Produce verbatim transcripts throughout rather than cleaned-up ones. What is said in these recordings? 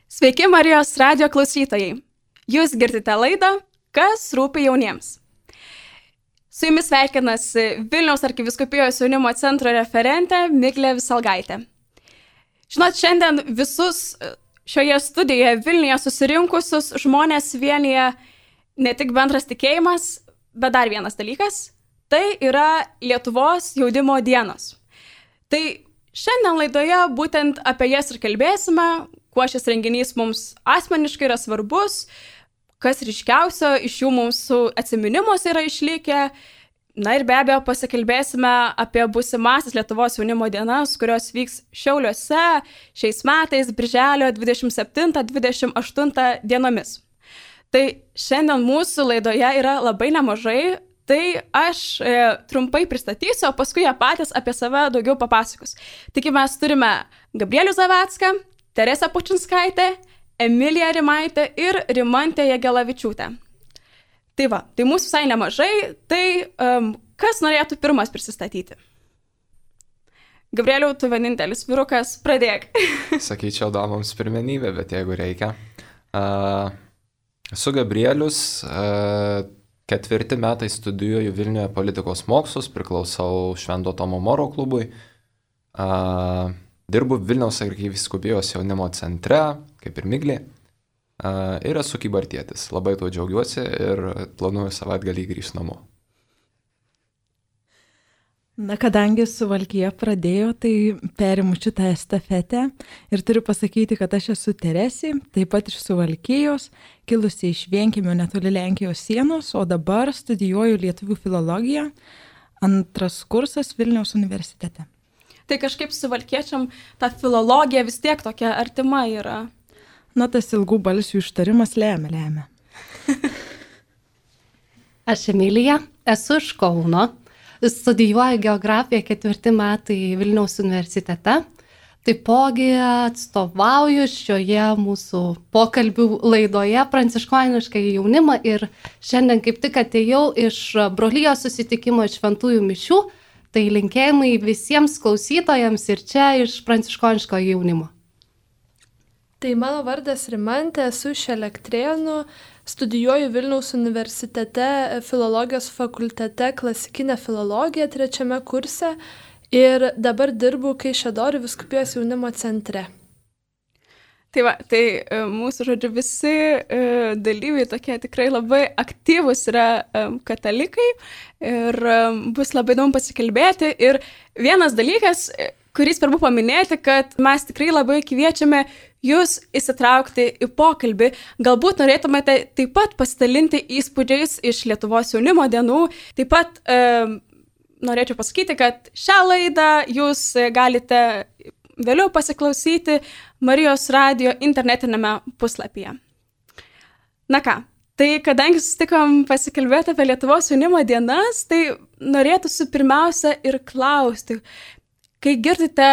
Sveiki Marijos radijo klausytojai. Jūs girdite laidą Kas rūpi jauniems. Su jumis sveikinasi Vilniaus arkivyskupijos jaunimo centro referentė Miglė Visalgaitė. Žinot, šiandien visus šioje studijoje Vilniuje susirinkusius žmonės vienyje ne tik bendras tikėjimas, bet dar vienas dalykas – tai yra Lietuvos jaunimo dienos. Tai šiandien laidoje būtent apie jas ir kalbėsime, kuo šis renginys mums asmeniškai yra svarbus, kas ryškiausio iš jų mūsų atsiminimuose yra išlikę. Na ir be abejo pasikalbėsime apie būsimąsias Lietuvos jaunimo dienas, kurios vyks Šiauliuose šiais metais, birželio dvidešimt septintą dvidešimt aštuntą dienomis. Tai šiandien mūsų laidoje yra labai nemažai, tai aš e, trumpai pristatysiu, o paskui jie patys apie save daugiau papasakos. Taigi mes turime Gabrielių Zavecką, Teresę Pučinskaitę, Emiliją Rimaitę ir Rimantę Jagelavičiūtę. Tai va, tai mūsų visai nemažai, tai um, kas norėtų pirmas prisistatyti? Gabrieliau, tu vienintelis vyrukas, pradėk. Sakyčiau, damams pirmenybė, bet jeigu reikia. Uh, esu Gabrielius, uh, ketvirti metai studijuoju Vilniuje politikos mokslus, priklausau Švento Tomo Moro klubui. Uh, dirbu Vilniaus arkivyskupijos jaunimo centre, kaip ir Miglė. Uh, ir esu kybartietis. Labai tuo džiaugiuosi ir planuoju savaitgalį grįžti namo. Na, kadangi Suvalkija pradėjo, tai perimu šitą estafetę ir turiu pasakyti, kad aš esu Teresė, taip pat iš Suvalkijos, kilusi iš Vienkiemio netoli Lenkijos sienos, o dabar studijuoju lietuvių filologiją, antras kursas Vilniaus universitete. Tai kažkaip suvalkiečiam ta filologija vis tiek tokia artima yra. Na, tas ilgų balsių ištarimas lėmė, lėmė. Aš Emilija, esu iš Kauno, studijuoju geografiją ketvirti metai Vilniaus universitete. Taipogi atstovauju šioje mūsų pokalbių laidoje pranciškonišką jaunimą ir šiandien kaip tik atėjau iš brolijos susitikimo iš šventųjų mišių, tai linkėjimai visiems klausytojams ir čia iš pranciškoniško jaunimo. Tai mano vardas Rimantė, esu iš Elektrėnų, studijuoju Vilniaus universitete filologijos fakultete klasikinę filologiją trečiame kurse ir dabar dirbu Kaišiadorių vyskupijos jaunimo centre. Tai va, tai mūsų, žodžiu, visi dalyviai tokie tikrai labai aktyvūs yra katalikai ir bus labai įdomu pasikalbėti. Ir vienas dalykas, kurį svarbu paminėti, kad mes tikrai labai kviečiame jūs įsitraukti į pokalbį. Galbūt norėtumėte taip pat pasidalinti įspūdžiais iš Lietuvos jaunimo dienų. Taip pat e, norėčiau pasakyti, kad šią laidą jūs galite vėliau pasiklausyti Marijos radijo internetinėme puslapyje. Na ką, tai kadangi susitikom pasikalbėti apie Lietuvos jaunimo dienas, tai norėtųsi pirmiausia ir klausti, kai girdite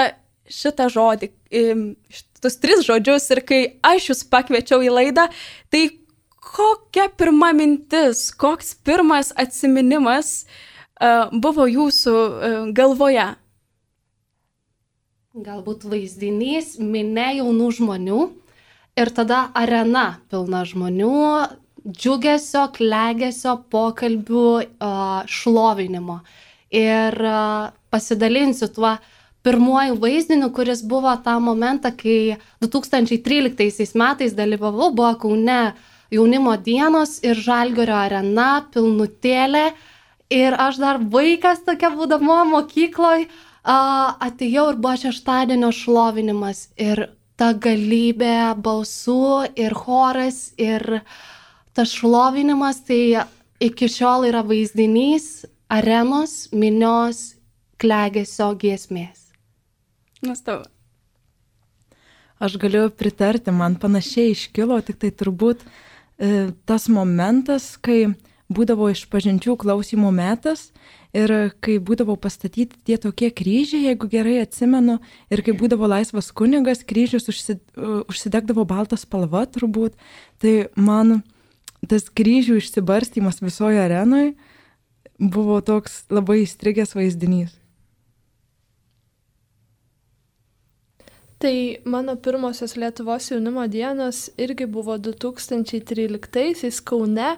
šitą žodį, šitus tris žodžius ir kai aš jūs pakviečiau į laidą, tai kokia pirma mintis, koks pirmas atsiminimas uh, buvo jūsų uh, galvoje? Galbūt vaizdinys, minia jaunų žmonių ir tada arena pilna žmonių, džiugesio, klegesio, pokalbių, uh, šlovinimo. Ir uh, pasidalinsiu tuo pirmuoju vaizdiniu, kuris buvo tą momentą, kai du tūkstančiai tryliktaisiais metais dalyvavau, buvo Kaune jaunimo dienos ir Žalgirio arena, pilnutėlė. Ir aš dar vaikas tokia būdama mokykloj, atėjau ir buvo šeštadienio šlovinimas. Ir ta galybė balsų ir choras ir tas šlovinimas, tai iki šiol yra vaizdinys arenos, minios, klegesio giesmės. Nuostabu. Aš galiu pritarti, man panašiai iškilo, tik tai turbūt e, tas momentas, kai būdavo išpažinčių klausimų metas ir kai būdavo pastatyti tie tokie kryžiai, jeigu gerai atsimenu, ir kai būdavo laisvas kunigas, kryžius užsi, užsidegdavo baltą spalvą turbūt, tai man tas kryžių išsibarstymas visoje arenoje buvo toks labai įstrigęs vaizdinys. Tai mano pirmosios Lietuvos jaunimo dienos irgi buvo du tūkstančiai tryliktaisiais Kaune.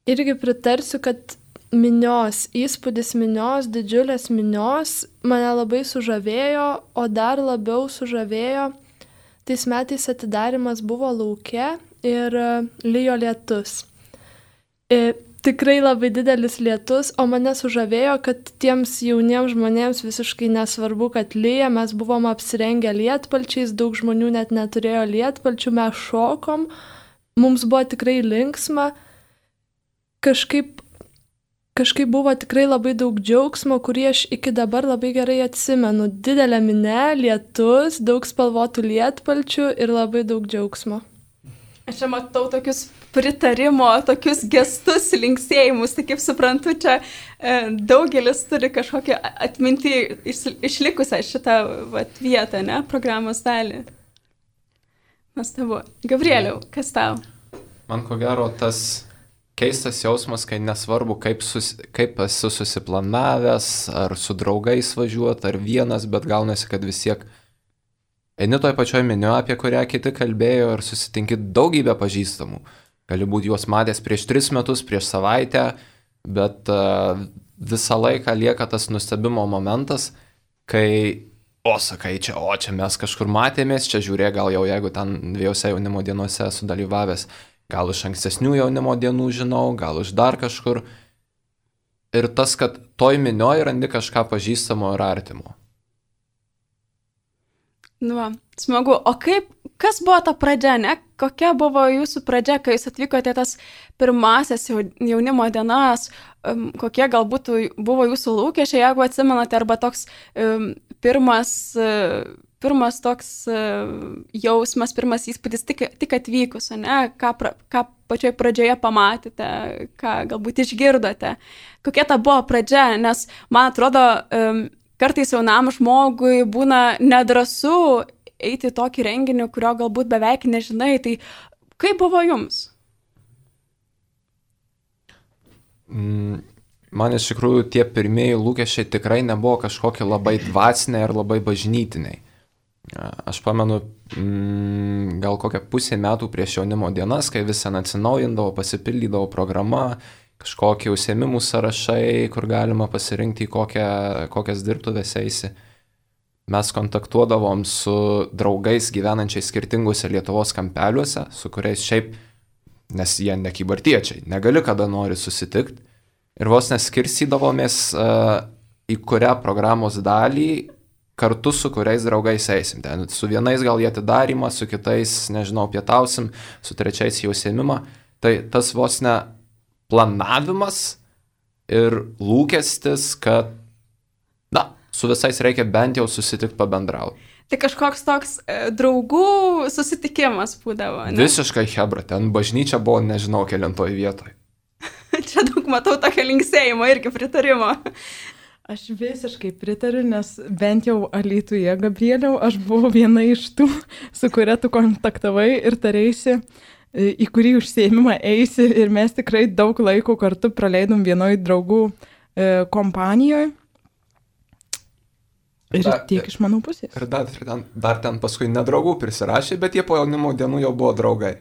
Irgi pritarsiu, kad minios, įspūdis minios, didžiulės minios mane labai sužavėjo, o dar labiau sužavėjo. Tais metais atidarimas buvo lauke ir lijo lietus. Ir tikrai labai didelis lietus, o mane sužavėjo, kad tiems jauniems žmonėms visiškai nesvarbu, kad lyja, mes buvom apsirengę lietpalčiais, daug žmonių net neturėjo lietpalčių, mes šokom, mums buvo tikrai linksma, kažkaip Kažkaip buvo tikrai labai daug džiaugsmo, kurį aš iki dabar labai gerai atsimenu. Didelė minė, lietus, daug spalvotų lietpalčių ir labai daug džiaugsmo. Aš čia matau tokius pritarimo, tokius gestus, linksėjimus, tai kaip suprantu, čia e, daugelis turi kažkokią atmintį iš, išlikusią šitą vat, vietą, ne, programos dalį. Nuostabu. Gabrieliau, kas tau? Man ko gero tas keistas jausmas, kai nesvarbu, kaip, sus, kaip esu susiplanavęs, ar su draugais važiuoti, ar vienas, bet gaunasi, kad vis tiek eini toj pačioj meniu, apie kurią kiti kalbėjo, ir susitinki daugybę pažįstamų. Gali būti juos matęs prieš tris metus, prieš savaitę, bet uh, visą laiką lieka tas nustebimo momentas, kai, o sakai, čia, o čia mes kažkur matėmės, čia žiūrė, gal jau jeigu ten dviejose jaunimo dienose esu dalyvavęs, gal iš ankstesnių jaunimo dienų žinau, gal iš dar kažkur. Ir tas, kad toj minioj randi kažką pažįstamo ir artimo. Nu, va, smagu. O kaip, kas buvo ta pradžia, ne? Kokia buvo jūsų pradžia, kai jūs atvykote tas pirmasias jaunimo dienas, um, kokie galbūt buvo jūsų lūkesčiai, jeigu atsimenate, arba toks um, pirmas... Uh, Pirmas toks uh, jausmas, pirmas įspūdis tik, tik atvykus, ne? Ką, pra, ką pačioje pradžioje pamatėte, ką galbūt išgirdote. Kokia ta buvo pradžia, nes man atrodo, um, kartais jaunam žmogui būna nedrąsu eiti į tokį renginį, kurio galbūt beveik nežinai. Tai kaip buvo jums? Mm. Man iš tikrųjų tie pirmieji lūkesčiai tikrai nebuvo kažkokie labai dvasiniai ir labai bažnytiniai. Aš pamenu, mm, gal kokią pusę metų prieš jaunimo dienas, kai visą atsinaujindavo, pasipildydavo programa, kažkokie užsiėmimų sąrašai, kur galima pasirinkti, kokią, kokias dirbtuvės eisi. Mes kontaktuodavom su draugais gyvenančiais skirtinguose Lietuvos kampeliuose, su kuriais šiaip, nes jie ne kybartiečiai, negali kada nori susitikti. Ir vos neskirstydavomės, uh, į kurią programos dalį kartu su kuriais draugais eisim. Ten su vienais gal jie atidarimą, su kitais, nežinau, pietausim, su trečiais jau užsiėmimą. Tai tas vos ne planavimas ir lūkestis, kad, na, su visais reikia bent jau susitikti pabendrauti. Tai kažkoks toks e, draugų susitikimas būdavo, ne? Visiškai hebra, ten bažnyčia buvo, nežinau, kelintoj vietoj. Čia daug matau tokio linksėjimo irgi pritarimo. Aš visiškai pritariu, nes bent jau Alytuje, Gabrieliau, aš buvau viena iš tų, su kuria tu kontaktavai ir tarėsi, į kurį užsiėmimą eisi, ir mes tikrai daug laiko kartu praleidom vienoj draugų e, kompanijoje. Ir dar, tiek iš mano pusės. Ir dar, dar, dar ten paskui nedraugų prisirašė, bet jie po jaunimo dienų jau buvo draugai.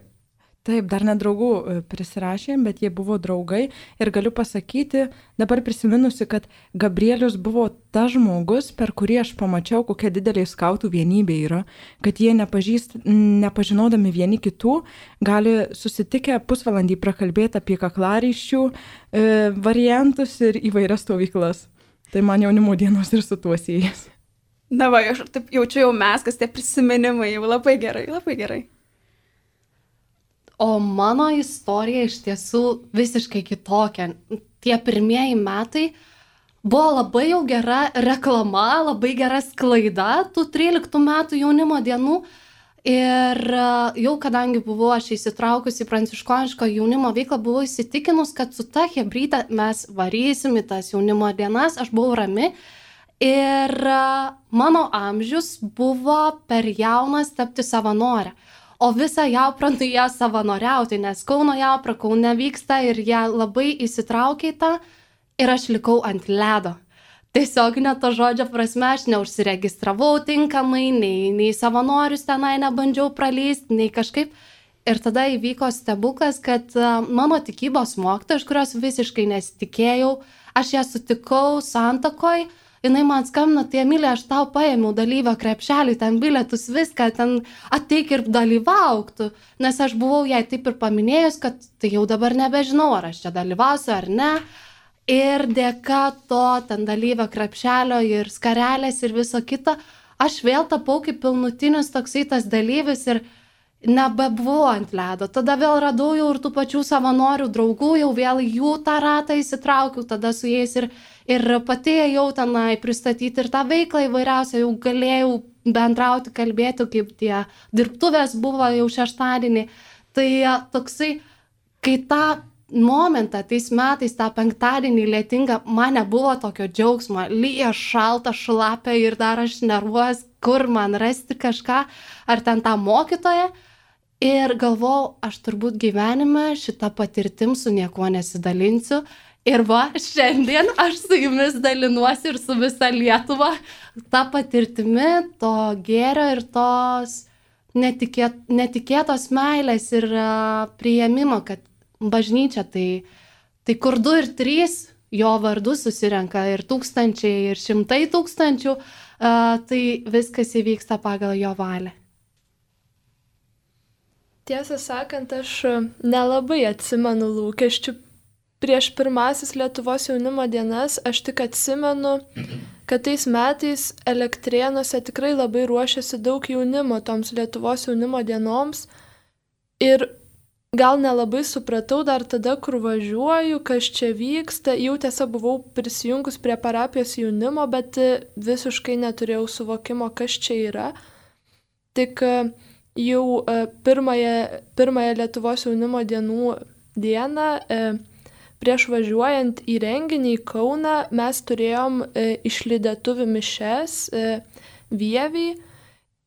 Taip, dar nedraugų prisirašėm, bet jie buvo draugai. Ir galiu pasakyti, dabar prisiminusi, kad Gabrielius buvo tas žmogus, per kurį aš pamačiau, kokia didelė skautų vienybė yra. Kad jie nepažįst, nepažinodami vieni kitų, gali susitikę pusvalandį prakalbėti apie kaklaraiščių e, variantus ir įvairias stovyklas. Tai man jaunimo dienos ir su tuo siejasi. Na va, aš taip jaučiu jau mes, kas tie prisiminimai, jau labai gerai, labai gerai. O mano istorija iš tiesų visiškai kitokia. Tie pirmieji metai buvo labai jau gera reklama, labai gera sklaida tų tryliktų metų jaunimo dienų. Ir jau kadangi buvau aš įsitraukusi į pranciškoniško jaunimo veiklą, buvau įsitikinus, kad su ta chebryte mes varysim į tas jaunimo dienas, aš buvau rami. Ir mano amžius buvo per jaunas tapti savanorę. O visą Jauprą ją savanoriauti, nes Kauno Jaupra Kaune vyksta ir jie labai įsitraukė į tą ir aš likau ant ledo. tiesioginė to žodžio prasme, aš neužsiregistravau tinkamai, nei, nei savanorius tenai nebandžiau praleisti, nei kažkaip. Ir tada įvyko stebuklas, kad mano tikybos mokytoja, iš kurios visiškai nesitikėjau, aš ją sutikau Santakoj, jinai man skambino, tai Emilija, aš tau paėmiau dalyvio krepšelį, ten bilietus, viską, ten ateik ir dalyvauktų, nes aš buvau jai taip ir paminėjus, kad tai jau dabar nebežinau, ar aš čia dalyvausiu ar ne. Ir dėka to ten dalyvio krepšelio ir skarelės ir viso kito, aš vėl tapau kaip pilnutinis toksai tas dalyvis ir nebebuvau ant ledo. Tada vėl radau jau ir tų pačių savanorių draugų, jau vėl jų tą ratą įsitraukiau, tada su jais ir, ir pati jau tenai pristatyti ir tą veiklą įvairiausią, jau galėjau bendrauti, kalbėti, kaip tie dirbtuvės buvo jau šeštadienį. Tai toksai, kai tą momentą, tais metais, tą penktadienį lietingą, man nebuvo tokio džiaugsmo, lyja šalta, šlapia ir dar aš nervuos, kur man rasti kažką, ar ten tą mokytoją. Ir galvojau, aš turbūt gyvenime šitą patirtim su niekuo nesidalinsiu. Ir va, šiandien aš su jumis dalinuosi ir su visa Lietuva tą patirtimi, to gėrio ir tos netikėt, netikėtos meilės ir uh, priėmimo, kad bažnyčia tai, tai kur du ir trys jo vardu susirenka ir tūkstančiai ir šimtai tūkstančių, uh, tai viskas įvyksta pagal jo valią. Tiesą sakant, aš nelabai atsimenu lūkesčių prieš pirmasis Lietuvos jaunimo dienas. Aš tik atsimenu, kad tais metais Elektrėnuose tikrai labai ruošiasi daug jaunimo toms Lietuvos jaunimo dienoms. Ir gal nelabai supratau dar tada, kur važiuoju, kas čia vyksta. Jau tiesa buvau prisijungus prie parapijos jaunimo, bet visiškai neturėjau suvokimo, kas čia yra. Tik jau pirmąją, pirmąją Lietuvos jaunimo dienų dieną, prieš važiuojant į renginį į Kauną, mes turėjom išlydėtuvių mišes Vievį.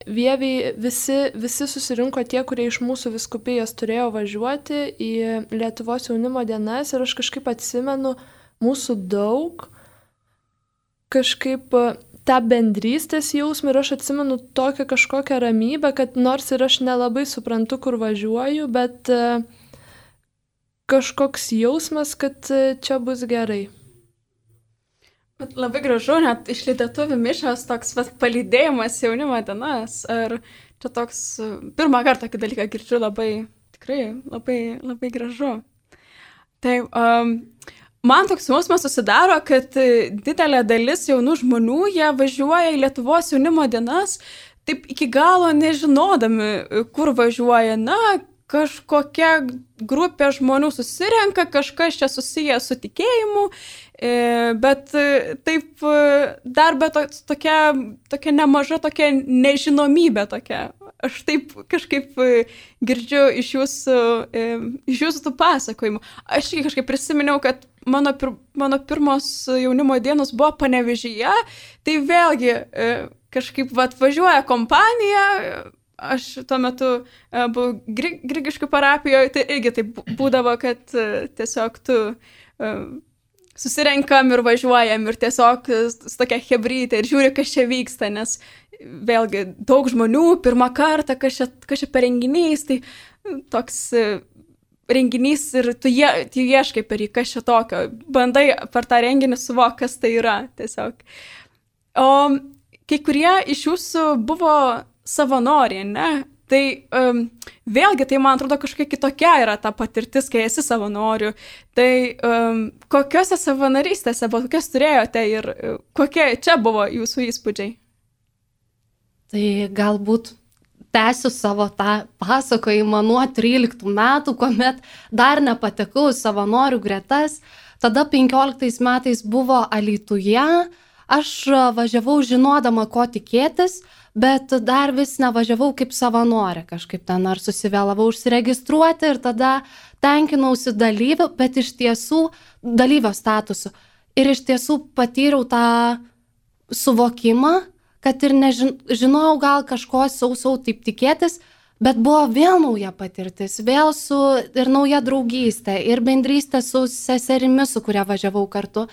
Vievį visi, visi susirinko tie, kurie iš mūsų vyskupijos turėjo važiuoti į Lietuvos jaunimo dienas ir aš kažkaip atsimenu mūsų daug, kažkaip tą bendrystės jausmą ir aš atsimenu tokią kažkokią ramybę, kad nors ir aš nelabai suprantu, kur važiuoju, bet kažkoks jausmas, kad čia bus gerai. Bet labai gražu, net išlydėtuvių mišios toks vat, palydėjimas jaunimo dienas. Ar čia toks pirmą kartą tokį dalyką girdžiu, labai, tikrai labai, labai gražu. Tai um, man toks jausmas susidaro, kad didelė dalis jaunų žmonių, jie važiuoja į Lietuvos jaunimo dienas, taip iki galo nežinodami, kur važiuoja. Na, kažkokia grupė žmonių susirenka, kažkas čia susiję su tikėjimu, bet taip dar be to, tokia, tokia nemaža tokia nežinomybė tokia. Aš taip kažkaip girdžiu iš jūsų, iš jūsų tų pasakojimų. Aš kažkaip prisiminiau, kad mano, pir, mano pirmos jaunimo dienos buvo Panevėžyje, tai vėlgi kažkaip vat, važiuoja kompanija. Aš tuo metu uh, buvau gri, Grigiškių parapijoje, tai irgi taip būdavo, kad uh, tiesiog tu uh, susirenkam ir važiuojam ir tiesiog su tokia hebrytė ir žiūri, kas čia vyksta, nes vėlgi daug žmonių, pirmą kartą, kas čia, kas čia per renginys, tai toks uh, renginys ir tu, je, tu ieškai per jį, kas čia tokio, bandai per tą renginį suvokti, kas tai yra tiesiog. O kai kurie iš jūsų buvo savanoriai, ne? Tai um, vėlgi, tai man atrodo kažkokia kitokia yra ta patirtis, kai esi savanoriu. Tai um, kokiose savanorystėse, kokias turėjote ir uh, kokie čia buvo jūsų įspūdžiai? Tai galbūt tęsiu savo tą pasakojimą nuo tryliktų metų, kuomet dar nepatekau į savanorių gretas. Tada penkioliktais metais buvo Alytuje. Aš važiavau žinodama, ko tikėtis, bet dar vis nevažiavau kaip savanorė, kažkaip ten ar susivėlavau užsiregistruoti ir tada tenkinausi dalyvių, bet iš tiesų dalyvio statusu. Ir iš tiesų patyriau tą suvokimą, kad ir nežinojau gal kažko sausau taip tikėtis, bet buvo vėl nauja patirtis, vėl su ir nauja draugystė, ir bendrystė su seserimi, su kuria važiavau kartu.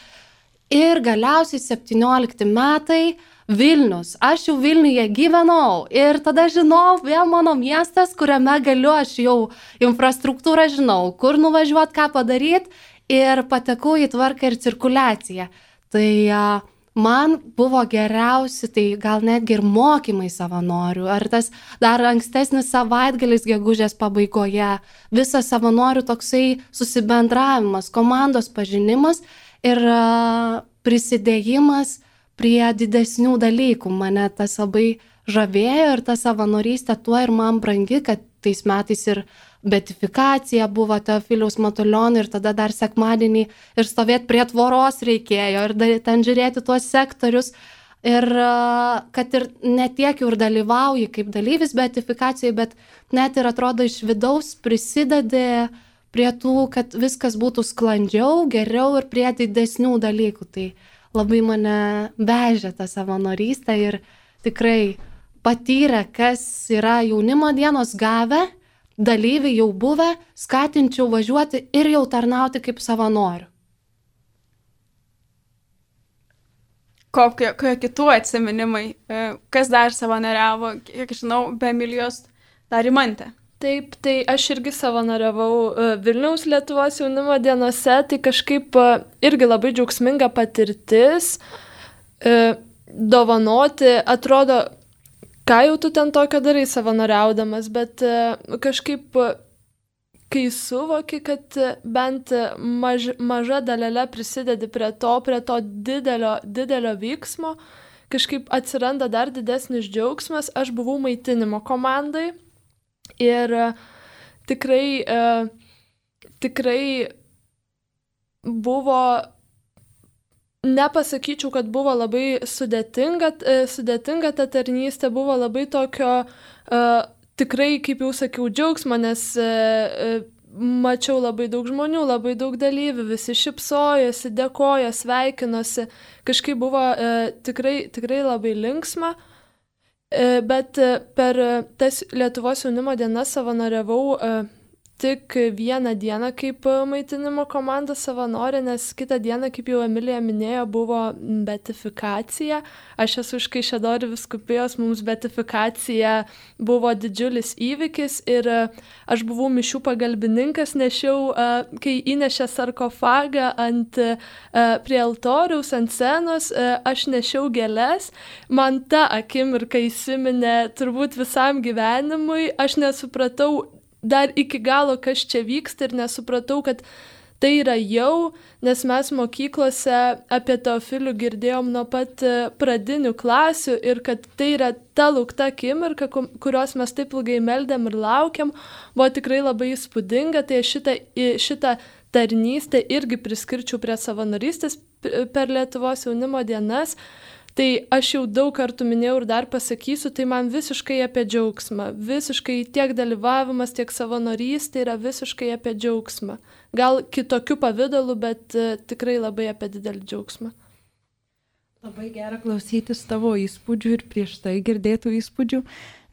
Ir galiausiai septyniolikti metai Vilnius. Aš jau Vilniuje gyvenau ir tada žinau, vėl mano miestas, kuriame galiu, aš jau infrastruktūrą žinau, kur nuvažiuoti, ką padaryti ir patekau į tvarką ir cirkuliaciją. Tai uh, man buvo geriausi, tai gal netgi ir mokymai savanorių, ar tas dar ankstesnis savaitgalis gegužės pabaigoje, visas savanorių toksai susibendravimas, komandos pažinimas ir uh, prisidėjimas prie didesnių dalykų. Mane tas labai žavėjo ir ta savanorystė tuo ir man brangi, kad tais metais ir beatifikacija buvo Teofiliaus Matulionio ir tada dar sekmadienį ir stovėti prie tvoros reikėjo ir ten žiūrėti tuos sektorius. Ir kad ir ne tiek jau ir dalyvauji kaip dalyvis beatifikacijai, bet net ir atrodo iš vidaus prisidedi prie tų, kad viskas būtų sklandžiau, geriau ir prie didesnių dalykų. Tai labai mane vežė tą savanorystę ir tikrai patyrę, kas yra jaunimo dienos gavę, dalyviai jau buvę, skatinčiau važiuoti ir jau tarnauti kaip savanorių. Kokie, kokie kitų atsiminimai, kas dar savanoriavo, kiek žinau, be Emilijos, dar Rimantė. Taip, tai aš irgi savanoriavau Vilniaus Lietuvos jaunimo dienose, tai kažkaip irgi labai džiaugsminga patirtis, dovanoti, atrodo, ką jau tu ten tokio darai savanoriaudamas, bet kažkaip, kai suvoki, kad bent maž, maža dalelė prisidedi prie to, prie to didelio, didelio vyksmo, kažkaip atsiranda dar didesnis džiaugsmas. Aš buvau maitinimo komandai. Ir tikrai, tikrai buvo, nepasakyčiau, kad buvo labai sudėtinga, sudėtinga ta tarnystė, buvo labai tokio, tikrai, kaip jau sakiau, džiaugsmo, nes mačiau labai daug žmonių, labai daug dalyvių, visi šypsojosi, dėkojo, sveikinosi, kažkaip buvo tikrai, tikrai labai linksma. Bet per tas Lietuvos jaunimo dienas savanoriavau tik vieną dieną kaip maitinimo komandos savanorė, nes kitą dieną, kaip jau Emilija minėjo, buvo beatifikacija. Aš esu iš Kaišiadorių vyskupijos, mums beatifikacija buvo didžiulis įvykis ir aš buvau mišių pagalbininkas, nešiau, kai įnešė sarkofagą ant, prie altoriaus, ant scenos, aš nešiau gėles. Man ta akimirka įsiminė turbūt visam gyvenimui, aš nesupratau dar iki galo, kas čia vyksta ir nesupratau, kad tai yra jau, nes mes mokyklose apie Teofilių girdėjom nuo pat pradinių klasių ir kad tai yra ta laukta akimirka, kurios mes taip ilgai meldėm ir laukiam, buvo tikrai labai įspūdinga, tai šitą, šitą tarnystę irgi priskirčiau prie savanorystės per Lietuvos jaunimo dienas. Tai aš jau daug kartų minėjau ir dar pasakysiu, tai man visiškai apie džiaugsmą. Visiškai tiek dalyvavimas, tiek savanorystė yra visiškai apie džiaugsmą. Gal kitokiu pavidalu, bet uh, tikrai labai apie didelį džiaugsmą. Labai gera klausytis tavo įspūdžių ir prieš tai girdėtų įspūdžių,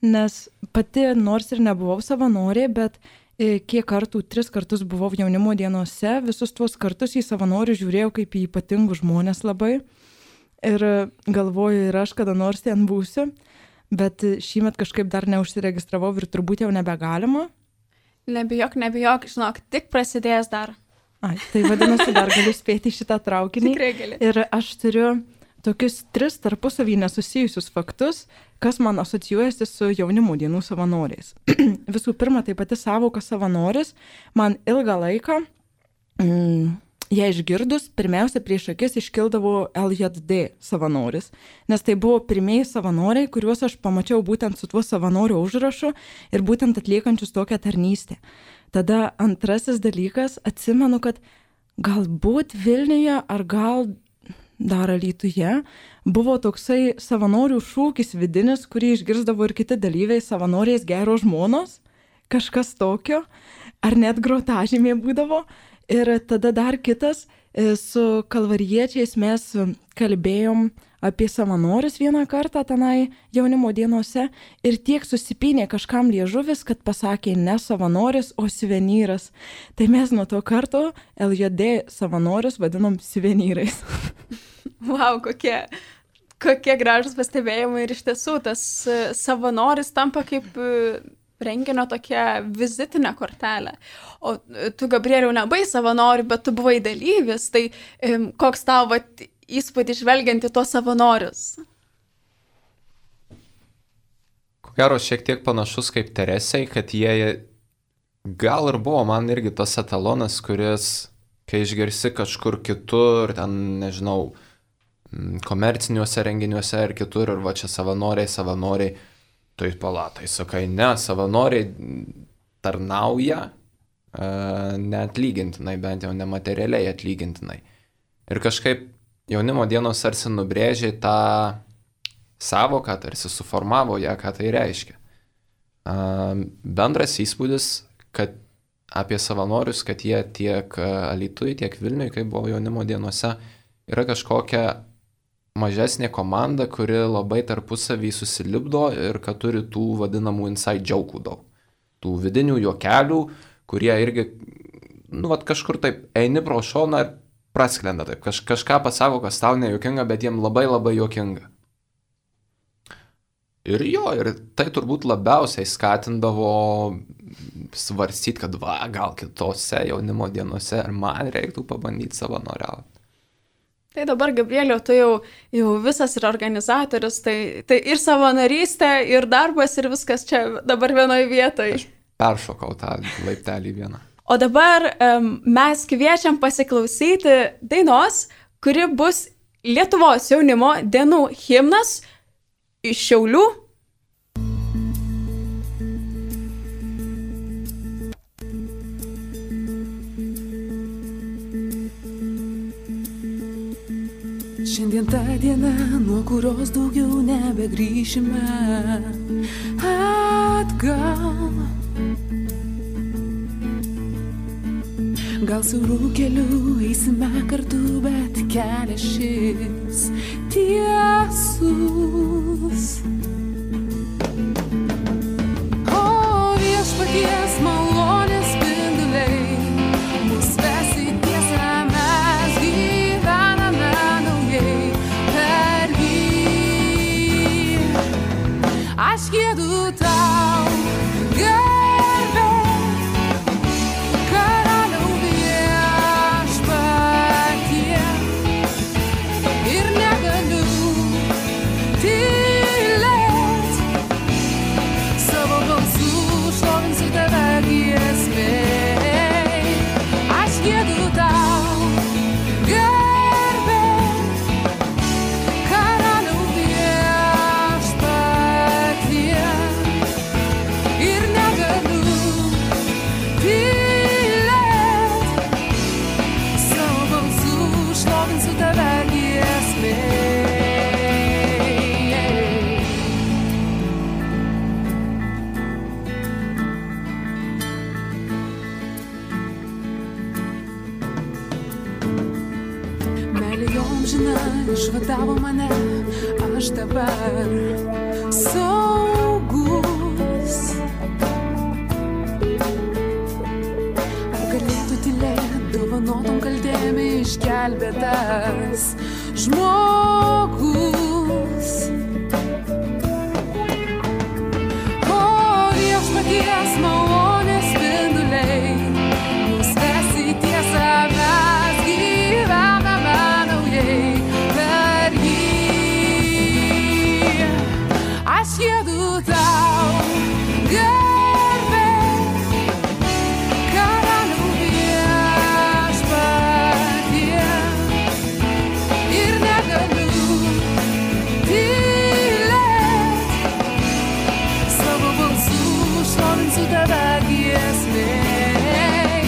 nes pati nors ir nebuvau savanorė, bet e, kiek kartų, tris kartus buvau jaunimo dienose, visus tuos kartus į savanorių žiūrėjau kaip į ypatingus žmonės labai. Ir galvoju, ir aš kada nors ten būsiu, bet šįmet kažkaip dar neužsiregistravau ir turbūt jau nebegalima. Nebijok, nebijok, žinok, tik prasidės dar. Ai, tai vadinasi, dar galiu spėti šitą traukinį. Tikrai gali. Ir aš turiu tokius tris tarpusavį nesusijusius faktus, kas man asocijuojasi su jaunimo dienų savanoriais. Visų pirma, tai pati savoka savanoris man ilgą laiką... Mm, Jei išgirdus, pirmiausia prieš akis iškildavo L J D savanoris, nes tai buvo pirmieji savanoriai, kuriuos aš pamačiau būtent su tuo savanorių užrašu ir būtent atliekančius tokią tarnystę. Tada antrasis dalykas, atsimenu, kad galbūt Vilniuje ar gal dar Alytuje buvo toksai savanorių šūkis vidinis, kurį išgirsdavo ir kiti dalyviai, savanoriais geros žmonos, kažkas tokio, ar net grotažymė būdavo. Ir tada dar kitas, su kalvariečiais mes kalbėjom apie savanorius vieną kartą tenai jaunimo dienose ir tiek susipynė kažkam liežuvis, kad pasakė ne savanoris, o suvenyras. Tai mes nuo to karto L J D savanorius vadinom suvenyrais. Wow, kokie, kokie gražus pastebėjimai ir iš tiesų tas savanoris tampa kaip renginio tokia vizitinė kortelė. O tu, Gabrieliau, nebai savanori, bet tu buvai dalyvis, tai koks tavo vat, įspūdį žvelgiant į tuos savanorius? Ko gero, šiek tiek panašus kaip Teresei, kad jie gal ir buvo man irgi tas etalonas, kuris, kai išgirsi kažkur kitur, ten, nežinau, komerciniuose renginiuose ir kitur, ir va čia savanoriai, savanoriai, tai palatai, sakai, ne, savanoriai tarnauja e, neatlygintinai, bent jau nematerialiai atlygintinai. Ir kažkaip jaunimo dienos tarsi nubrėžė tą savoką, tarsi suformavo ją, ką tai reiškia. E, bendras įspūdis, kad apie savanorius, kad jie tiek Alytuje, tiek Vilniuje, kai buvo jaunimo dienose, yra kažkokia mažesnė komanda, kuri labai tarpusavį susilipdo ir kad turi tų vadinamų inside joke'ų daug. Tų vidinių juokelių, kurie irgi, nu, vat kažkur taip eini pro šoną ir prasklenda taip. Kaž, kažką pasako, kas tau nejuokinga, bet jiem labai labai juokinga. Ir jo, ir tai turbūt labiausiai skatindavo svarstyti, kad va, gal kitose jaunimo dienose ir man reiktų pabandyti savanoriauti. Tai dabar, Gabrieliau, tu jau, jau visas ir organizatorius, tai, tai ir savanorystė, ir darbas, ir viskas čia dabar vienoje vietoje. Aš peršokau tą laiptelį vieną. O dabar um, mes kviečiam pasiklausyti dainos, kuri bus Lietuvos jaunimo dienų himnas iš Šiaulių. Šiandien ta diena, nuo kurios daugiau nebegrįšime atgal. Gal siaurų kelių eisime kartu, bet kelias šis tiesus. O viešpaties malonės spinduliai mus ves į tiesą, mes gyvename naujai per jį. Aš giedu tau garbę, karaliau viešpatie, ir negaliu tylėt, savo balsu šlovinsiu tave giesmėj. Aš giedu tau garbę, karaliau viešpatie, ir negaliu tylėt, savo balsu šlovinsiu tave giesmėj. Meilė jom žina, išvadavo mane, aš dabar saugus. Ar galėtų tylėt, dovanotom kaltėm išgelbėtas žmogus? O viešpaties malonės spinduliai mus ves į tiesą, mes gyvename naujai per jį. Aš giedu tau garbę, karaliau viešpatie, ir negaliu tylėt, savo balsu šlovinsiu tave giesmėj.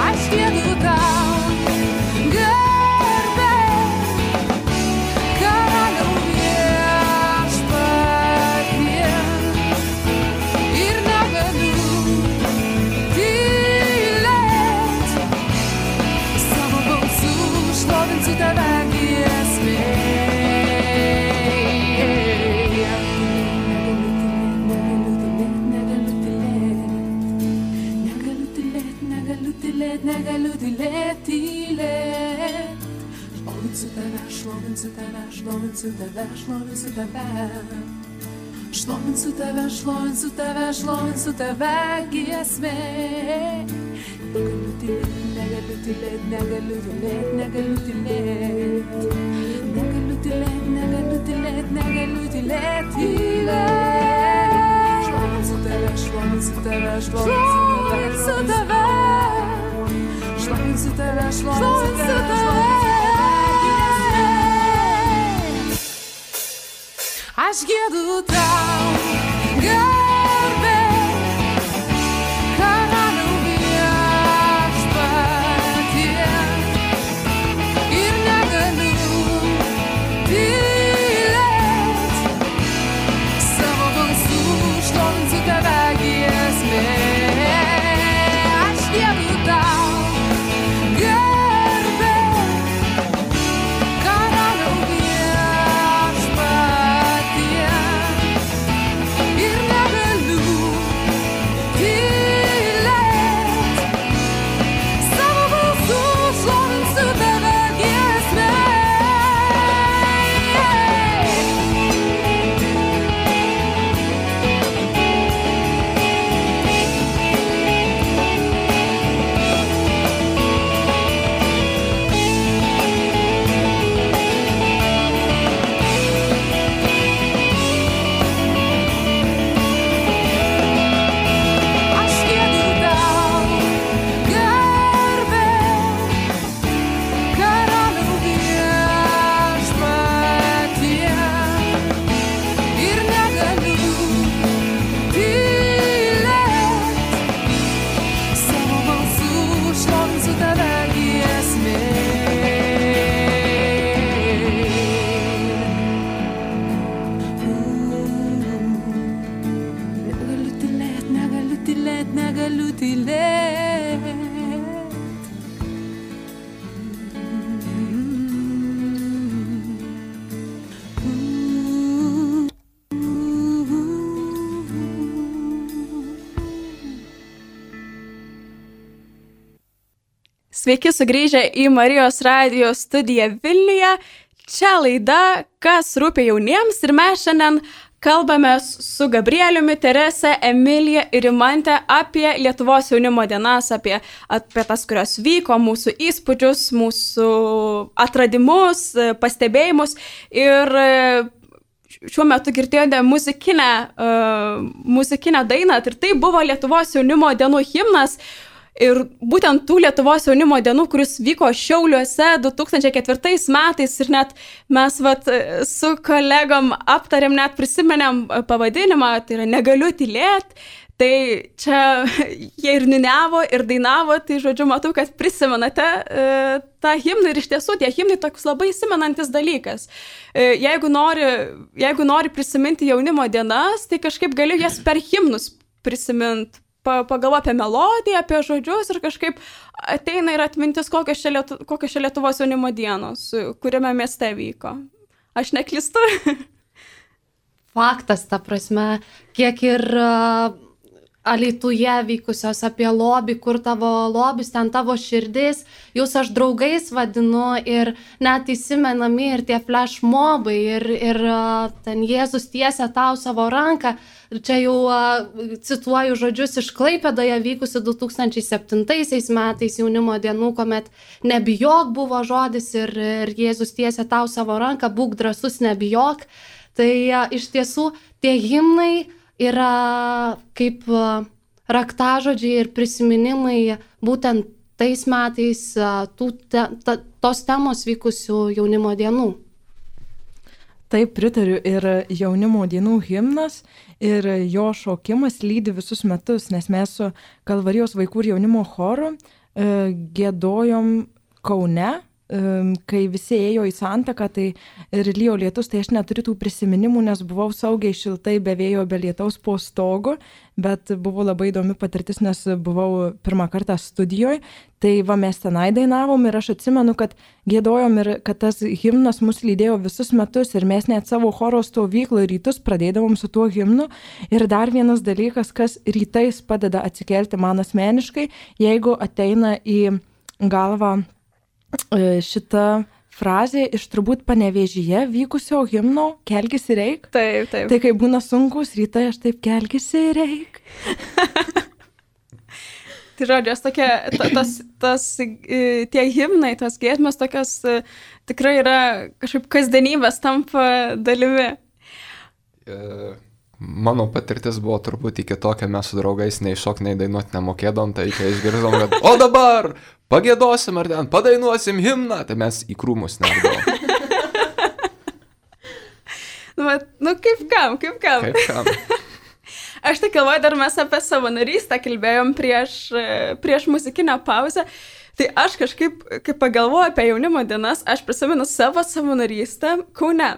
Aš giedu tau garbę, karaliau viešpatie, ir negaliu tylėt, savo balsu tylėt, negaliu tylėt, tylėt. Šlovinsiu tave, šlovinsiu tave, šlovinsiu tave, šlovinsiu tave. Šlovinsiu tave, šlovinsiu tave, šlovinsiu tave giesmė. Negaliu tylėt, negaliu tylėt, negaliu tylėt, negaliu tylėt. Negaliu tylėt, negaliu tylėt, negaliu tylėt, tylėt. Šlovinsiu tave, šlovinsiu tave, šlovinsiu tave. Šlovinsiu tave, šlovinsiu tave. Aš giedu tau garbę, karaliau viešpatie, ir negaliu tylėt, savo balsu šlovinsiu tave giesmė. Aš giedu tau garbę, karaliau viešpatie, ir negaliu tylėt, savo balsu šlovinsiu tave giesmė. Aš giedu tau garbę, karaliau viešpatie, ir negaliu tylėt, savo balsu šlovinsiu tave giesmė. Negaliu tylėt, negaliu tylėt, negaliu tylėt. Sveiki sugrįžę į Marijos radijo studiją Vilniuje. Čia laida Kas rūpi jauniems ir mes šiandien kalbame su Gabrieliumi, Terese, Emilija ir Rimante apie Lietuvos jaunimo dienas, apie, apie tas, kurios vyko, mūsų įspūdžius, mūsų atradimus, pastebėjimus. Ir šiuo metu girdėjote muzikinę, uh, muzikinę dainą ir tai buvo Lietuvos jaunimo dienų himnas. Ir būtent tų Lietuvos jaunimo dienų, kuris vyko Šiauliuose du tūkstančiai ketvirtais metais ir net mes vat, su kolegom aptarėm, net prisimenėm pavadinimą, tai yra Negaliu tylėt. Tai čia jie ir niuniavo, ir dainavo, tai žodžiu, matau, kad prisimenate e, tą himną ir iš tiesų tie himnai toks labai įsimenantis dalykas. E, jeigu, nori, jeigu nori prisiminti jaunimo dienas, tai kažkaip gali jas per himnus prisiminti. Pagalvo apie melodiją, apie žodžius ir kažkaip ateina ir atmintis, kokios čia, Lietu, kokios čia Lietuvos jaunimo dienos, kuriame mieste vyko. Aš neklystu. Faktas, ta prasme, kiek ir uh, Alytuje vykusios apie lobį, kur tavo lobis, ten tavo širdis, jūs aš draugais vadinu ir net įsimenami ir tie flashmobai ir, ir uh, ten Jėzus tiesia tau savo ranką. Ir čia jau uh, cituoju žodžius iš Klaipėdoje vykusi du tūkstančiai septintaisiais metais jaunimo dienų, kuomet nebijok buvo žodis ir, ir Jėzus tiesia tau savo ranką, būk drąsus, nebijok. Tai uh, iš tiesų tie himnai yra kaip uh, raktažodžiai ir prisiminimai būtent tais metais uh, tų te, ta, tos temos vykusių jaunimo dienų. Taip, pritariu, ir jaunimo dienų himnas ir jo šokimas lydi visus metus, nes mes su Kalvarijos vaikų ir jaunimo choru e, gėdojom Kaune kai visi ėjo į santaką, tai ir lijo lietus, tai aš neturiu tų prisiminimų, nes buvau saugiai šiltai be vėjo, be lietaus po stogu, bet buvo labai įdomi patirtis, nes buvau pirmą kartą studijoje, tai va mes tenai dainavom ir aš atsimenu, kad gėdojom ir kad tas himnas mus lydėjo visus metus ir mes net savo choro stovyklą rytus pradėdavom su tuo himnu. Ir dar vienas dalykas, kas rytais padeda atsikelti man asmeniškai, jeigu ateina į galvą šita frazė iš turbūt Panevėžyje vykusio himno Kelkis ir eik. Taip, taip. Tai kai būna sunkus rytai, aš taip kelkis ir eik. Tai žodžiu, tokia, ta, tas, tas, tie himnai, tos giesmės tokios tikrai yra kažkaip kasdienybės tampa dalimi. Mano patirtis buvo truputį kitokia, mes su draugais nei šok, nei dainuot nemokėdom, tai kai išgirdom, kad o dabar pagėdosim ar ten padainuosim himną, tai mes į krūmus nerdavom. nu, nu kaip kam, kaip kam. Kaip kam. Aš tai galvoju, dar mes apie savanorystę kalbėjom prieš, prieš muzikinę pauzę. Tai aš kažkaip, kai pagalvoju apie jaunimo dienas, aš prisimenu savo savanorystę Kaune.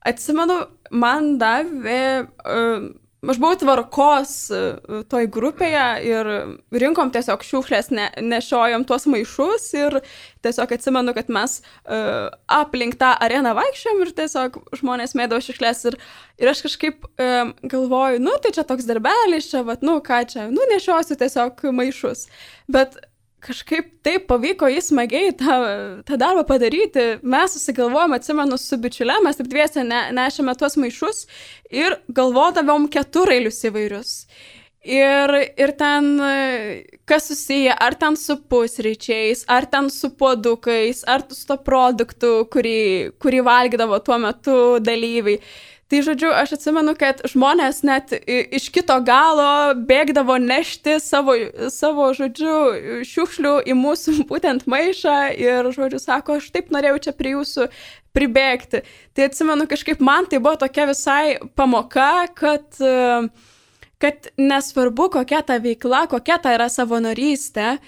Atsimenu, man davė, uh, aš buvau tvarkos uh, toj grupėje ir rinkom tiesiog šiukšlės, ne, nešiojom tuos maišus ir tiesiog atsimenu, kad mes uh, aplink tą areną vaikščiom ir tiesiog žmonės mėdavo šiukšlės ir, ir aš kažkaip um, galvoju, nu tai čia toks darbelis, čia, vat, nu ką čia, nu nešiosiu tiesiog maišus, bet kažkaip taip pavyko jį smagiai tą, tą darbą padaryti. Mes susigalvojom, atsimenu, su bičiule, mes taip dviese ne, nešėme tuos maišus ir galvodavom keturailius įvairius. Ir, ir ten, kas susiję, ar ten su pusryčiais, ar ten su puodukais, ar su to produktu, kurį, kurį valgydavo tuo metu dalyviai. Tai žodžiu, aš atsimenu, kad žmonės net iš kito galo bėgdavo nešti savo, savo žodžiu, šiukšlių į mūsų būtent maišą ir, žodžiu, sako, aš taip norėjau čia prie jūsų pribėgti. Tai atsimenu, kažkaip man tai buvo tokia visai pamoka, kad, kad nesvarbu, kokia ta veikla, kokia ta yra savanorystė,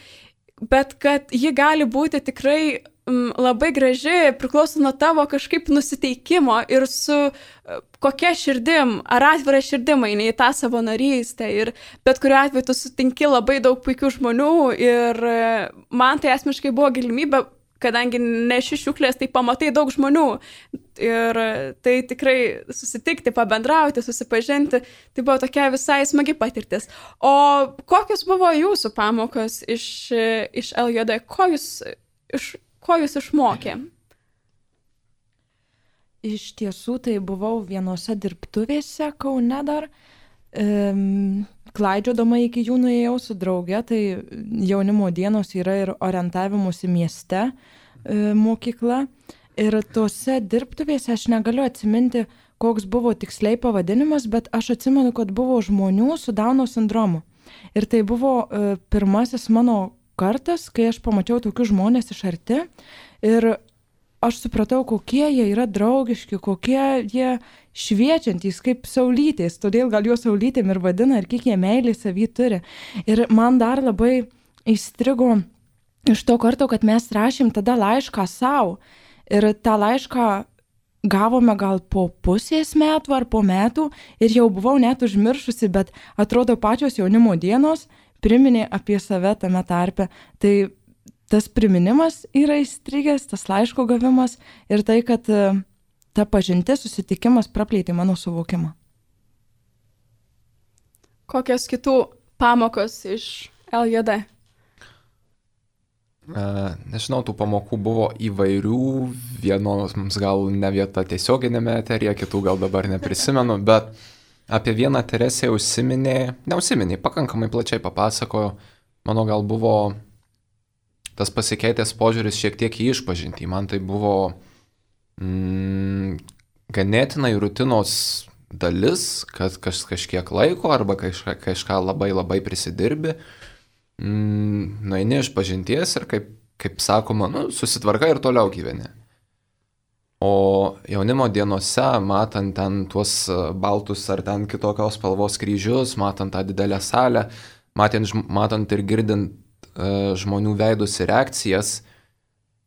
bet kad ji gali būti tikrai labai graži, priklauso nuo tavo kažkaip nusiteikimo ir su kokia širdim, ar atvira širdim eini į tą savanorystę. Ir bet kuriuo atveju tu sutinki labai daug puikių žmonių ir man tai asmeniškai buvo galimybė, kadangi neši šiukšlės, tai pamatai daug žmonių ir tai tikrai susitikti, pabendrauti, susipažinti, tai buvo tokia visai smagi patirtis. O kokios buvo jūsų pamokos iš, iš L J D? Ko jūs iš Ko jūs išmokė? Iš tiesų, tai buvau vienose dirbtuvėse Kaune dar. Ehm, klaidžiodama iki jų nuėjau su drauge, tai jaunimo dienos yra ir orientavimusi mieste e, mokykla. Ir tose dirbtuvėse aš negaliu atsiminti, koks buvo tiksliai pavadinimas, bet aš atsimenu, kad buvo žmonių su Dauno sindromu. Ir tai buvo e, pirmasis mano kartas, kai aš pamačiau tokius žmonės iš arti ir aš supratau, kokie jie yra draugiški, kokie jie šviečiantys, kaip saulytės, todėl gal juos saulytėm ir vadina ir kiek jie meilį savy turi. Ir man dar labai įstrigo iš to karto, kad mes rašėm tada laišką savo ir tą laišką gavome gal po pusės metų ar po metų ir jau buvau net užmiršusi, bet atrodo pačios jaunimo dienos priminė apie save tame tarpe. Tai tas priminimas yra įstrigęs, tas laiško gavimas ir tai, kad ta pažintis, susitikimas praplėtė mano suvokimą. Kokios kitų pamokos iš L J D? Nežinau, tų pamokų buvo įvairių, vienos mums gal ne vieta tiesioginėme eteryje, kitų gal dabar neprisimenu, bet apie vieną Teresę užsiminė, neužsiminė, pakankamai plačiai papasakojo, mano gal buvo tas pasikeitęs požiūris šiek tiek į išpažintį. Man tai buvo mm, ganėtinai rutinos dalis, kad kaž, kažkiek laiko arba kažką, kažką labai labai prisidirbi, mm, nueini išpažinties ir kaip, kaip sakoma, nu, susitvarka ir toliau gyveni. O jaunimo dienose, matant ten tuos baltus ar ten kitokios spalvos kryžius, matant tą didelę salę, matant, matant ir girdint uh, žmonių veidus ir reakcijas,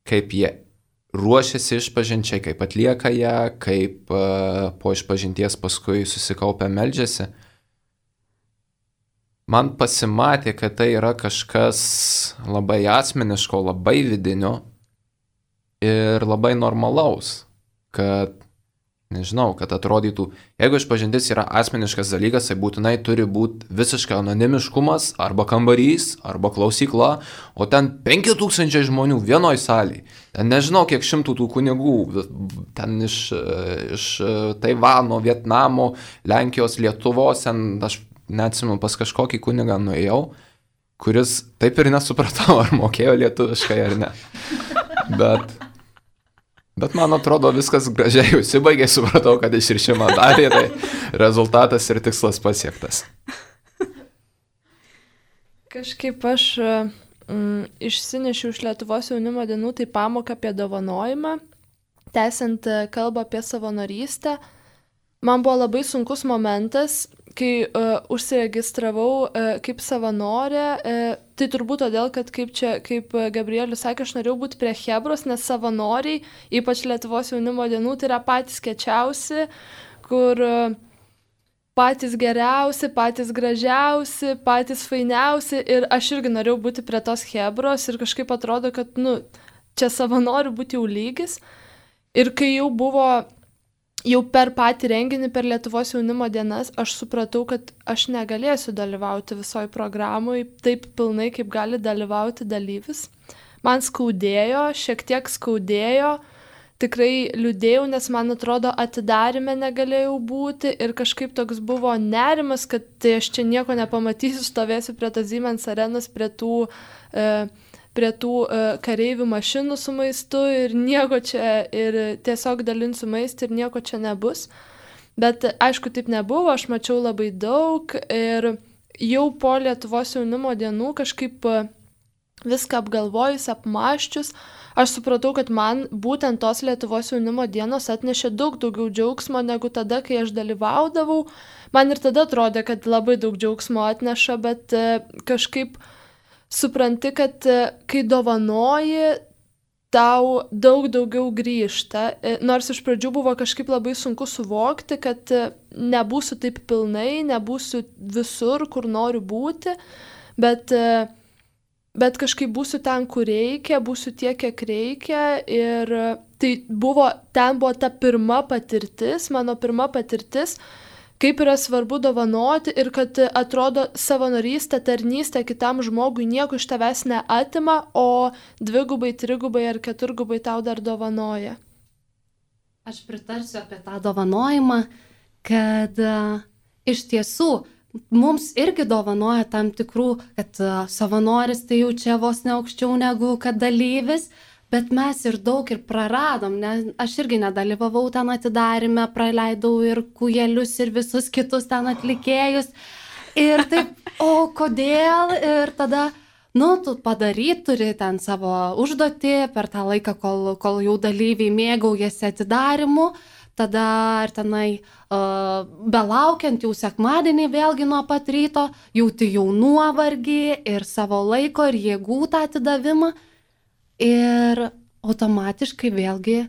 kaip jie ruošiasi išpažinčiai, kaip atlieka ją, kaip uh, po išpažinties paskui susikaupia meldžiasi. Man pasimatė, kad tai yra kažkas labai asmeniško, labai vidinio ir labai normalaus, kad, nežinau, kad atrodytų, jeigu išpažintis yra asmeniškas dalykas, tai būtinai turi būti visiškai anonimiškumas, arba kambarys, arba klausykla, o ten penki tūkstančiai žmonių vienoj salėje. Ten nežinau, kiek šimtų tų kunigų, ten iš, iš Taivano, Vietnamo, Lenkijos, Lietuvos, ten aš neatsimenu, pas kažkokį kunigą nuėjau, kuris taip ir nesupratau, ar mokėjo lietuviškai ar ne. Bet, bet man atrodo, viskas gražiai užsibaigė, supratau, kad išrišimą darė, tai rezultatas ir tikslas pasiektas. Kažkaip aš mm, išsinešiau iš Lietuvos jaunimo dienų tai pamoką apie dovanojimą, tęsiant kalbą apie savanorystę. Man buvo labai sunkus momentas, kai uh, užsiregistravau uh, kaip savanorė, uh, tai turbūt todėl, kad kaip čia, kaip Gabrielius sakė, aš norėjau būti prie Chebros, nes savanoriai, ypač Lietuvos jaunimo dienų, tai yra patys kečiausi, kur uh, patys geriausi, patys gražiausi, patys fainiausi ir aš irgi norėjau būti prie tos Chebros ir kažkaip atrodo, kad, nu, čia savanorių būti jau lygis. Ir kai jau buvo jau per patį renginį, per Lietuvos jaunimo dienas, aš supratau, kad aš negalėsiu dalyvauti visoje programoje taip pilnai, kaip gali dalyvauti dalyvis. Man skaudėjo, šiek tiek skaudėjo, tikrai liūdėjau, nes man atrodo atidarime negalėjau būti ir kažkaip toks buvo nerimas, kad tai aš čia nieko nepamatysiu, stovėsiu prie tos Siemens arenos, prie tų... E, prie tų uh, kareivių mašinų su maistu ir nieko čia, ir tiesiog dalinsiu maistą ir nieko čia nebus. Bet aišku, taip nebuvo, aš mačiau labai daug ir jau po Lietuvos jaunimo dienų kažkaip uh, viską apgalvojus, apmaščius, aš supratau, kad man būtent tos Lietuvos jaunimo dienos atnešė daug daugiau džiaugsmo negu tada, kai aš dalyvaudavau. Man ir tada atrodė, kad labai daug džiaugsmo atneša, bet uh, kažkaip supranti, kad kai dovanoji, tau daug daugiau grįžta. Nors iš pradžių buvo kažkaip labai sunku suvokti, kad nebūsiu taip pilnai, nebūsiu visur, kur noriu būti, bet, bet kažkaip būsiu ten, kur reikia, būsiu tiek, kiek reikia. Ir tai buvo, ten buvo ta pirma patirtis, mano pirma patirtis, kaip yra svarbu dovanoti ir kad atrodo savanorystė, tarnystė kitam žmogui nieko iš tavęs neatima, o dvigubai, trigubai ar keturgubai tau dar dovanoja. Aš pritarsiu apie tą dovanojimą, kad uh, iš tiesų mums irgi dovanoja tam tikrų, kad uh, savanoris tai jau čia vos ne aukščiau negu kad dalyvis, bet mes ir daug ir praradom, nes aš irgi nedalyvavau ten atidarime, praleidau ir kujelius ir visus kitus ten atlikėjus. Ir taip, o kodėl? Ir tada, nu, tu padaryt turi ten savo užduotį per tą laiką, kol, kol jau dalyviai mėgaujasi atidarimu. Tada ar tenai uh, belaukiant jau sekmadienį vėlgi nuo pat ryto, jauti jau nuovargį ir savo laiko ir jėgų tą atidavimą. Ir automatiškai vėlgi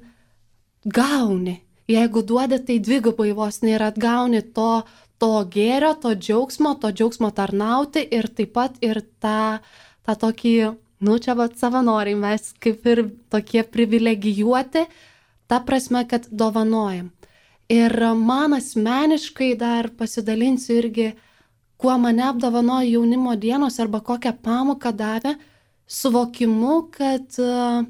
gauni. Jeigu duodi, tai dvigubai vos nėra atgauni to, to gėrio, to džiaugsmo, to džiaugsmo tarnauti ir taip pat ir tą, tą tokį, nu čia vat savanoriai, mes kaip ir tokie privilegijuoti, ta prasme, kad dovanojam. Ir man asmeniškai dar pasidalinsiu irgi, kuo mane apdovanojo jaunimo dienos arba kokią pamoką davė, suvokimu, kad uh,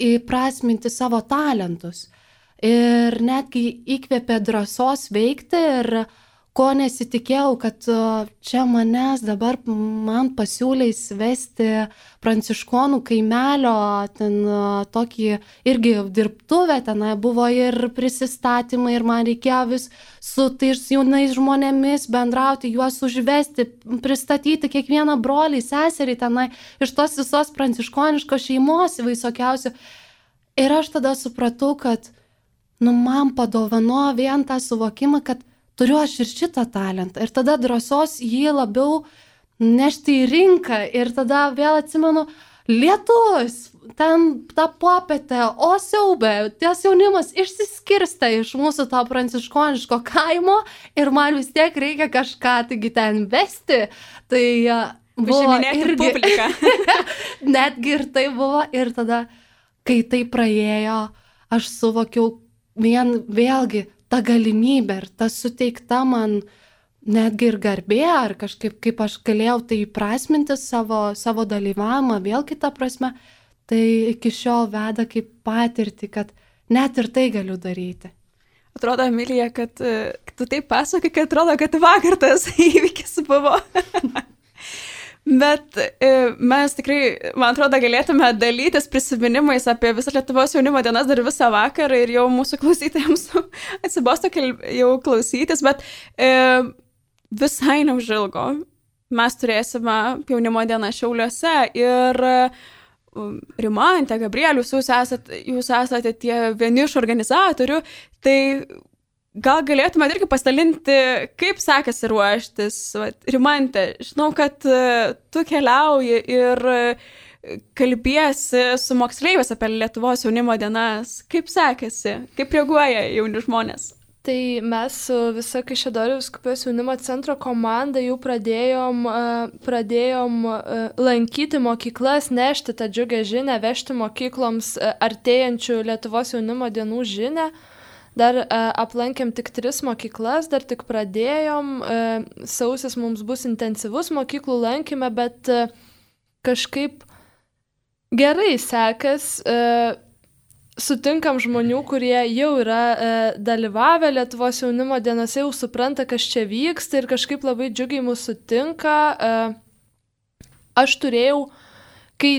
įprasminti savo talentus ir netgi įkvėpė drąsos veikti ir ko nesitikėjau, kad uh, čia manęs dabar man pasiūlys vesti pranciškonų kaimelio, ten uh, tokį irgi dirbtuvę, tenai buvo ir prisistatymai ir man reikėjo vis su tais jaunais žmonėmis bendrauti, juos užvesti, pristatyti kiekvieną brolį, seserį tenai iš tos visos pranciškoniškos šeimos visokiausių. Ir aš tada supratau, kad nu, man padovanojo vien tą suvokimą, kad turiu aš ir šitą talentą. Ir tada drąsos jį labiau nešti į rinką. Ir tada vėl atsimenu, lietus, ten tą popietę, o siaubė, ties jaunimas išsiskirsta iš mūsų to pranciškoniško kaimo ir man vis tiek reikia kažką taigi ten vesti. Tai buvo irgi, netgi ir tai buvo ir tada, kai tai praėjo, aš suvokiau vien vėlgi tą galimybę ir ta suteikta man netgi ir garbė, ar kažkaip, kaip aš galėjau tai įprasminti savo, savo dalyvavimą, vėl kitą prasme, tai iki šiol veda kaip patirtį, kad net ir tai galiu daryti. Atrodo, Emilija, kad tu taip pasakai, kad atrodo, kad vakar tas įvykis buvo. Bet mes tikrai, man atrodo, galėtume dalytis prisiminimais apie visą Lietuvos jaunimo dienas dar visą vakarą ir jau mūsų klausytojams atsibosto jau klausytis, bet e, visai neužilgo mes turėsime jaunimo dieną Šiauliuose ir Rimantė, Gabrielius, jūs esate, jūs esate tie vieni iš organizatorių, tai gal galėtume irgi pasidalinti, kaip sekasi ruoštis. Rimantė, žinau, kad tu keliauji ir kalbiesi su moksleiviais apie Lietuvos jaunimo dienas. Kaip sekasi? Kaip reaguoja jauni žmonės? Tai mes su visa Kaišiadorių vyskupijos jaunimo centro komanda jau pradėjom, pradėjom lankyti mokyklas, nešti tą džiugę žinią, vežti mokykloms artėjančių Lietuvos jaunimo dienų žinią. Dar e, aplankėm tik tris mokyklas, dar tik pradėjom, e, sausis mums bus intensyvus mokyklų lankyme, bet e, kažkaip gerai sekas, e, sutinkam žmonių, kurie jau yra e, dalyvavę Lietuvos jaunimo dienose, jau supranta, kas čia vyksta ir kažkaip labai džiugiai mūsų sutinka. E, aš turėjau, kai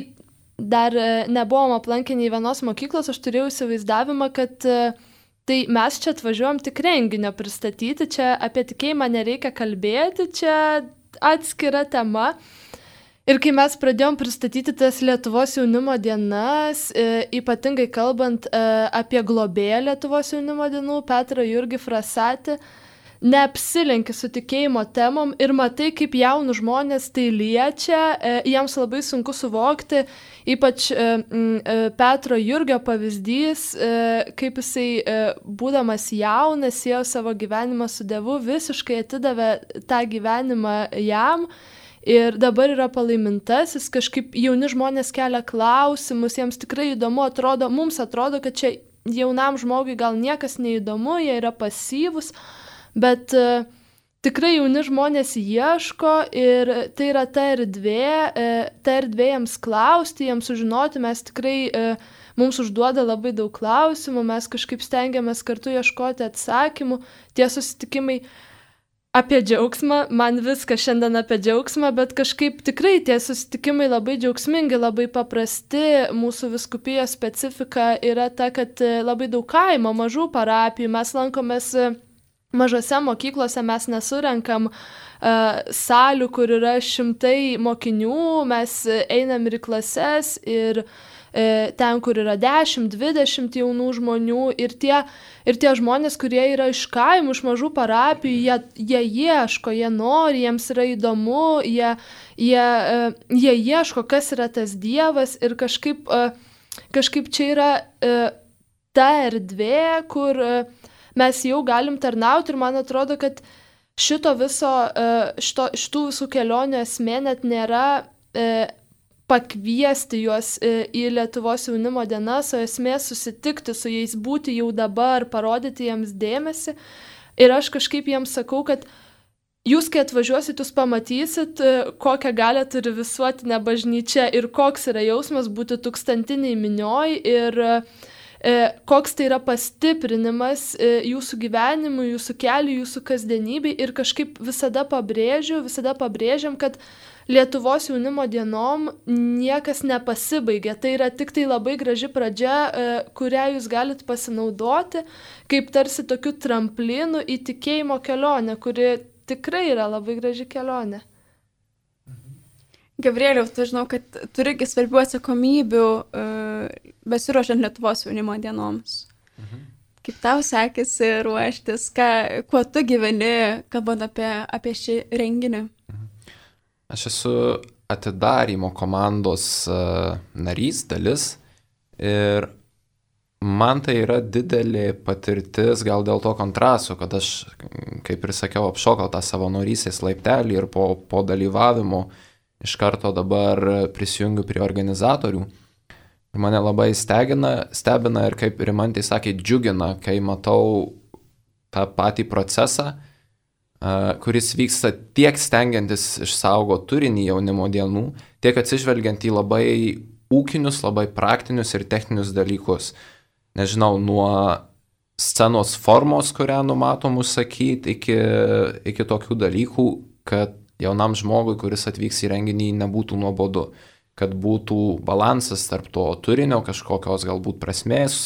dar e, nebuvom aplankę nei vienos mokyklos, aš turėjau įsivaizdavimą, kad e, tai mes čia atvažiuojam tik renginio pristatyti, čia apie tikėjimą nereikia kalbėti, čia atskira tema. Ir kai mes pradėjom pristatyti tas Lietuvos jaunimo dienas, e, ypatingai kalbant e, apie globėją Lietuvos jaunimo dienų, Petrą Jurgį Frasatį, neapsilenki su tikėjimo temom ir matai, kaip jaunų žmonės tai liečia, e, jiems labai sunku suvokti, ypač e, e, Petro Jurgio pavyzdys, e, kaip jisai e, būdamas jaunas, ėjo savo gyvenimą su Dievu, visiškai atidavė tą gyvenimą jam ir dabar yra palaimintasis, kažkaip jauni žmonės kelia klausimus, jiems tikrai įdomu, atrodo, mums atrodo, kad čia jaunam žmogui gal niekas neįdomu, jie yra pasyvus, bet uh, tikrai jauni žmonės ieško ir tai yra ta erdvė, uh, ta erdvė jiems klausti, jiems sužinoti, mes tikrai, uh, mums užduoda labai daug klausimų, mes kažkaip stengiamės kartu ieškoti atsakymų, tie susitikimai apie džiaugsmą, man viskas šiandien apie džiaugsmą, bet kažkaip tikrai tie susitikimai labai džiaugsmingi, labai paprasti, mūsų vyskupijos specifika yra ta, kad labai daug kaimo, mažų parapijų, mes lankomės mažose mokyklose, mes nesurenkam uh, salių, kur yra šimtai mokinių, mes einam ir į klases ir uh, ten, kur yra dešimt, dvidešimt jaunų žmonių ir tie, ir tie žmonės, kurie yra iš kaimų, iš mažų parapijų, jie, jie ieško, jie nori, jiems yra įdomu, jie, jie, uh, jie ieško, kas yra tas Dievas ir kažkaip, uh, kažkaip čia yra uh, ta erdvė, kur uh, mes jau galim tarnauti ir man atrodo, kad šito viso, šito, šitų visų kelionių esmė net nėra e, pakviesti juos e, į Lietuvos jaunimo dienas, o esmė susitikti su jais, būti jau dabar, parodyti jiems dėmesį. Ir aš kažkaip jiems sakau, kad jūs, kai atvažiuosit, jūs pamatysit, kokią galią turi visuotinė bažnyčia ir koks yra jausmas būti tūkstantiniai minioj ir koks tai yra pastiprinimas jūsų gyvenimui, jūsų keliui, jūsų kasdienybei ir kažkaip visada pabrėžiu, visada pabrėžiam, kad Lietuvos jaunimo dienom niekas nepasibaigė. Tai yra tik tai labai graži pradžia, kurią jūs galit pasinaudoti, kaip tarsi tokiu tramplinu į tikėjimo kelionę, kuri tikrai yra labai graži kelionė. Gabrieliau, tu žinau, kad turi svarbių atsakomybių uh, besiruošiant Lietuvos jaunimo dienoms. Mhm. Kaip tau sekėsi ruoštis, ką, kuo tu gyveni, kalbant apie, apie šį renginį? Mhm. Aš esu atidarymo komandos narys, dalis. Ir man tai yra didelė patirtis, gal dėl to kontrasto, kad aš, kaip ir sakiau, apšokau tą savanorystės laiptelį ir po, po dalyvavimo iš karto dabar prisijungiu prie organizatorių. Ir mane labai stebina, stebina ir kaip Rimantė sakė, džiugina, kai matau tą patį procesą, kuris vyksta tiek stengiantis išsaugo turinį jaunimo dienų, tiek atsižvelgiant į labai ūkinius, labai praktinius ir techninius dalykus. Nežinau, nuo scenos formos, kurią numatom užsakyti, iki, iki tokių dalykų, kad jaunam žmogui, kuris atvyks į renginį, nebūtų nuobodu, kad būtų balansas tarp to turinio, kažkokios galbūt prasmės,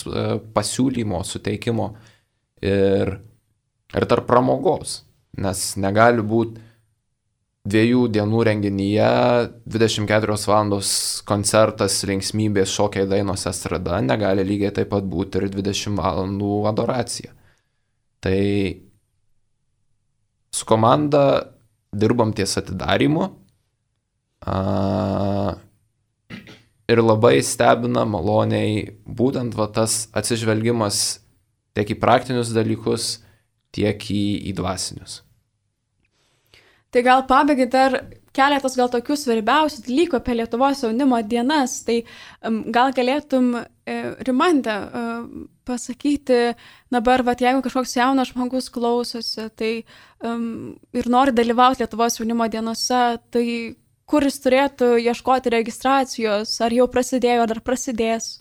pasiūlymo, suteikimo ir, ir tarp pramogos, nes negali būti dviejų dienų renginyje, dvidešimt keturios valandos koncertas, linksmybės, šokiai, dainos, estrada, negali lygiai taip pat būti ir dvidešimt valandų adoracija. Tai su komanda dirbam ties atidarymu a, ir labai stebina maloniai būtent va, tas atsižvelgimas tiek į praktinius dalykus, tiek į, į dvasinius. Tai gal pabaigai dar keletas gal tokių svarbiausių dalykų apie Lietuvos jaunimo dienas. Tai um, gal galėtum, e, Rimantė, e, pasakyti dabar, vat, jeigu kažkoks jaunas žmogus klausosi tai, um, ir nori dalyvauti Lietuvos jaunimo dienose, tai kur jis turėtų ieškoti registracijos, ar jau prasidėjo, ar prasidės?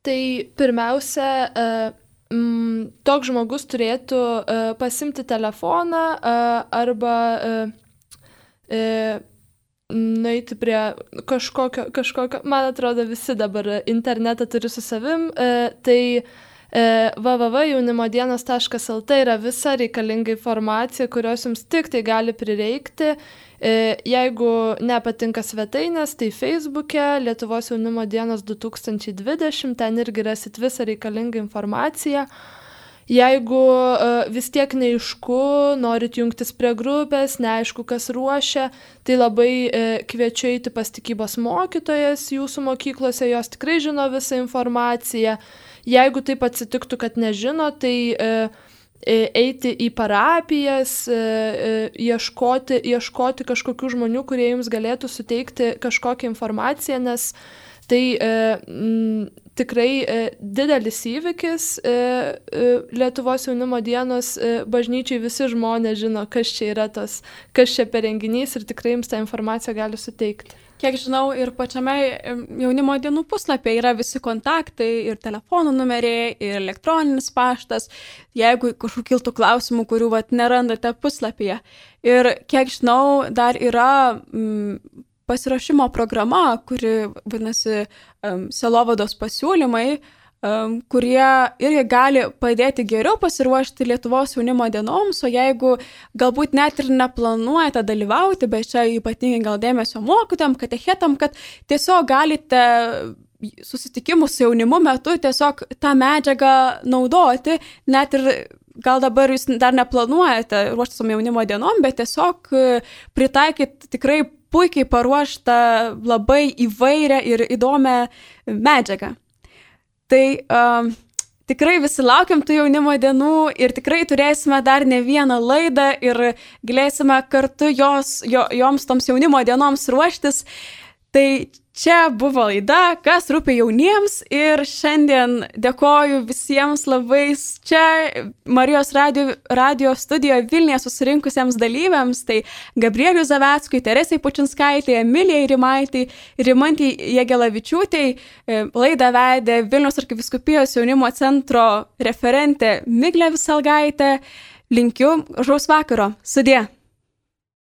Tai pirmiausia, uh, Mm, toks žmogus turėtų uh, pasimti telefoną uh, arba uh, uh, nueiti prie kažkokio, kažkokio, man atrodo, visi dabar internetą turi su savim, uh, tai uh, w w w taškas jaunimodienos taškas l t yra visa reikalinga informacija, kurios jums tik tai gali prireikti. Uh, jeigu nepatinka svetainės, tai Facebook'e Lietuvos jaunimo dienos du tūkstančiai dvidešimt, ten irgi rasit visą reikalingą informaciją. Jeigu uh, vis tiek neaišku, norit jungtis prie grupės, neaišku, kas ruošia, tai labai uh, kviečiu eiti pas tikybos mokytojas jūsų mokyklose, jos tikrai žino visą informaciją. Jeigu taip atsitiktų, kad nežino, tai uh, eiti į parapijas, ieškoti, ieškoti kažkokių žmonių, kurie jums galėtų suteikti kažkokią informaciją, nes tai m, tikrai didelis įvykis Lietuvos jaunimo dienos bažnyčiai, visi žmonės žino, kas čia yra tas, kas čia per renginys ir tikrai jums tą informaciją gali suteikti. Kiek žinau, ir pačiame jaunimo dienų puslapyje yra visi kontaktai, ir telefonų numeriai, ir elektroninis paštas, jeigu kažkokių kiltų klausimų, kurių vat, nerandate puslapyje. Ir kiek žinau, dar yra mm, pasiruošimo programa, kuri vadinasi um, Sielovados pasiūlymai, um, kurie irgi gali padėti geriau pasiruošti Lietuvos jaunimo dienoms, o jeigu galbūt net ir neplanuojate dalyvauti, bet čia ypatingai gal dėmesio mokytojam, katechetam, kad tiesiog galite susitikimų su jaunimu metu tiesiog tą medžiagą naudoti, net ir gal dabar jūs dar neplanuojate ruošti su jaunimo dienom, bet tiesiog pritaikyti tikrai puikiai paruoštą, labai įvairią ir įdomią medžiagą. Tai um, tikrai visi laukiam tų jaunimo dienų ir tikrai turėsime dar ne vieną laidą ir galėsime kartu jos, jo, joms toms jaunimo dienoms ruoštis. Tai čia buvo laida, kas rūpi jauniems ir šiandien dėkoju visiems labai čia Marijos radio, radio studijoje Vilniuje susirinkusiems dalyviams, tai Gabrieliui Zaveckui, Teresei Pučinskaitei, Emilijai Rimaitai, Rimantei Jegelavičiūtei. Laidą vedė Vilniaus arkivyskupijos jaunimo centro referentė Miglė Viselgaitė. Linkiu gražaus vakaro. Sudie.